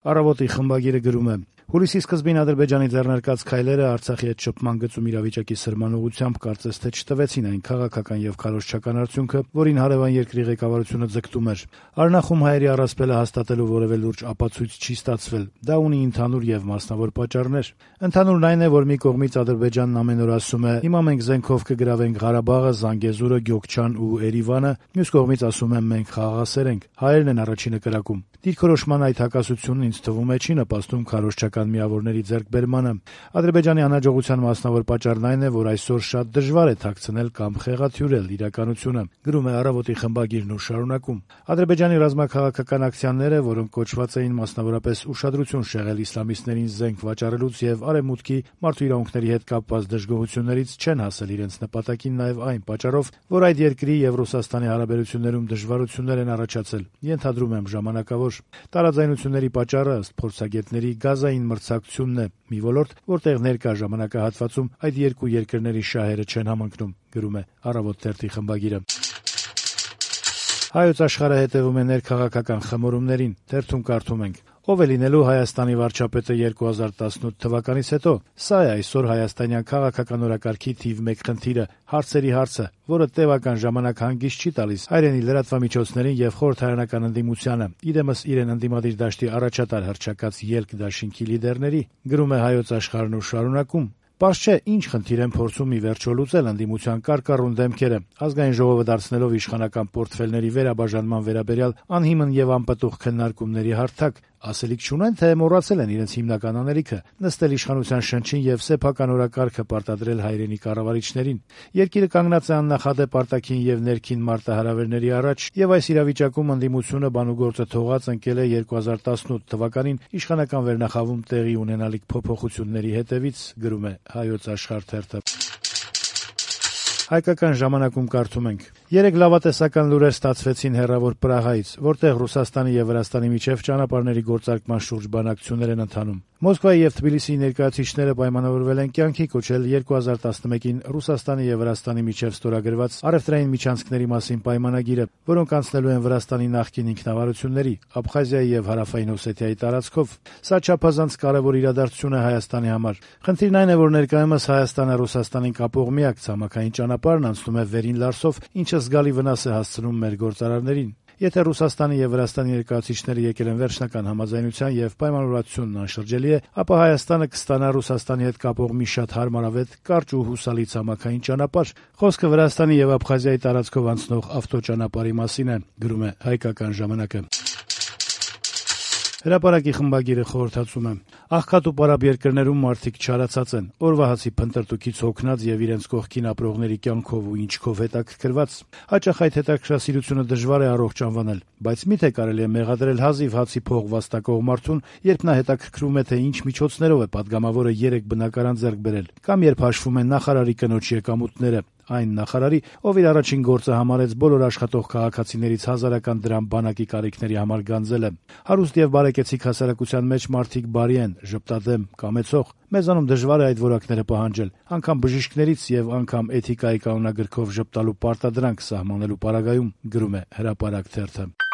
Առավոտի խմբագիրը գրում է. Հուլիսի սկզբին Ադրբեջանի ձեռնարկած քայլերը Արցախի հետ շփման գծում իրավիճակի սրման ուղղությամբ կարծես թե չտվեցին այն քաղաքական եւ քարոզչական արդյունքը, որին հարևան երկրի ղեկավարությունը ձգտում էր։ Արնախում հայերի առասպելը հաստատելու որևէ լուրջ ապացույց չի ստացվել։ Դա ունի ընդհանուր եւ մասնավոր պատճառներ։ Ընդհանուրն այն է, որ մի կողմից Ադրբեջանն ամեն օր ասում է՝ հիմա մենք զենքով կգրավենք Ղարաբաղը, Զանգեզուրը, Գյոկչան ու Էրիվանը, մյուս կողմից ասում է մենք խաղաղասեր ենք։ Հայերն են առաջինը կրակում։ Դիրքորոշման այդ հակասությունն ինձ թվում է չի նպաստում քարոզչական միավորների ձեռքբերմանը։ Ադրբեջանի անհաջողության մասնավոր պատճառն այն է, որ այսօր շատ դժվար է թաքցնել կամ խեղաթյուրել իրականությունը, գրում է Առավոտի խմբագիրն ու շարունակում. Ադրբեջանի ռազմաքաղաքական ակցիաները, որոնք կոչված էին մասնավորապես ուշադրություն շեղել իսլամիստներին զենք վաճառելուց եւ արևմուտքի մարդու իրավունքների հետ կապված դժգոհություններից, չեն հասել իրենց նպատակին նաեւ այն պատճառով, որ այդ երկրի եւ Ռուսաստանի հարաբերություններում դժվարություններ են առաջացել, ենթադրում եմ ժամանակավոր։ Տարաձայնությունների պատճառը ըստ փորձագետների գազային մրցակցությունն է, մի ոլորտ, որտեղ ներկա ժամանակահատվածում այդ երկու երկրների շահերը չեն համընկնում, գրում է Առավոտ թերթի խմբագիրը։ Հայոց աշխարհը հետևում է ներքաղաքական խմորումներին, թերթում կարդում ենք. Ով է լինելու Հայաստանի վարչապետը 2018 թվականից հետո։ Սա է այսօր հայաստանյան քաղաքական օրակարգի թիվ 1 խնդիրը, հարցերի հարցը, որը տևական ժամանակ հանգիստ չի տալիս հայրենի լրատվամիջոցներին եւ խորհրդարանական ընդդիմությանը, իրեմս իրեն ընդդիմադիր դաշտի առաջատար հռչակած ելք դաշինքի լիդերների, գրում է Հայոց աշխարհն ու շարունակում. Պարզ չէ, ինչ խնդիր են փորձում ի վերջո լուծել ընդդիմության կարկառուն դեմքերը, ազգային ժողովը դարձնելով իշխանական պորտֆելների վերաբաժանման վերաբերյալ անհիմն եւ անպտուղ քննարկումների հարթակ, ասելիք չունեն, թե մոռացել են իրենց հիմնական անելիքը՝ նստել իշխանության շնչին եւ սեփական օրակարգը պարտադրել հայրենի կառավարիչներին։ Երկիրը կանգնած է աննախադեպ արտաքին եւ ներքին մարտահրավերների առաջ, եւ այս իրավիճակում ընդդիմությունը բանուգործը թողած ընկել է 2018 թվականին իշխանական վերնախավում տեղի ունենալիք փոփոխությունների հետևից, գրում է Հայոց աշխարհ թերթը։ Հայկական ժամանակում կարդում ենք. Երեք լավատեսական լուրեր ստացվեցին հեռավոր Պրահայից, որտեղ Ռուսաստանի եւ Վրաստանի միջև ճանապարհների գործարկման շուրջ բանակցություններ են ընթանում։ Մոսկվայի եւ Թբիլիսիի ներկայացուցիչները պայմանավորվել են կյանքի կոչել 2011-ին Ռուսաստանի եւ Վրաստանի միջև ստորագրված առևտրային միջանցքների մասին պայմանագիրը, որոնք անցնելու են Վրաստանի նախկին ինքնավարությունների, Աբխազիայի եւ Հարավային Օսեթիայի տարածքով։ Սա չափազանց կարեւոր իրադարձություն է Հայաստանի համար։ Խնդիրն այն է, որ ներկայումս Հայաստանը Ռուսաստանին կապող միակ ցամաքային ճանապարհն անցնում է Վերին Լարսով, ինչը զգալի վնաս է հասցնում մեր գործարարներին։ Եթե Ռուսաստանի եւ Վրաստանի ներկայացուցիչները եկել են վերջնական համաձայնության եւ պայմանավորվածությունն անշրջելի է, ապա Հայաստանը կստանա Ռուսաստանի հետ կապող մի շատ հարմարավետ, կարճ ու հուսալի ցամաքային ճանապարհ։ Խոսքը Վրաստանի եւ Աբխազիայի տարածքով անցնող ավտոճանապարհի մասին է, գրում է Հայկական ժամանակը։ Հրապարակի խմբագիրը խորհրդածում է. Աղքատ ու պարապ երկրներում մարդիկ չարացած են, օրվա հացի փնտրտուքից հոգնած եւ իրենց կողքին ապրողների կյանքով ու ինչքով հետաքրքրված։ Հաճախ այդ հետաքրքրասիրությունը դժվար է առողջ անվանել, բայց միթե կարելի է մեղադրել հազիվ հացի փող վաստակող մարդուն, երբ նա հետաքրքրում է, թե ինչ միջոցներով է падգամավորը 3 բնակարան ձեռք բերել, կամ երբ հաշվում են նախարարի կնոջ եկամուտները, այն նախարարի, ով իր առաջին գործը համարեց բոլոր աշխատող քաղաքացիներից 1000 դրամ բանակի կարիքների համար գանձելը։ Հարուստ եւ բարեկեցիկ հասարակության մեջ մարդիկ բարի են, ժպտադեմ, կամեցող։ Մեզանում դժվար է այդ որակները պահանջել, անգամ բժիշկներից եւ անգամ էթիկայի կանոնագրքով ժպտալու պարտադրանք սահմանելու պարագայում, գրում է Հրապարակ թերթը։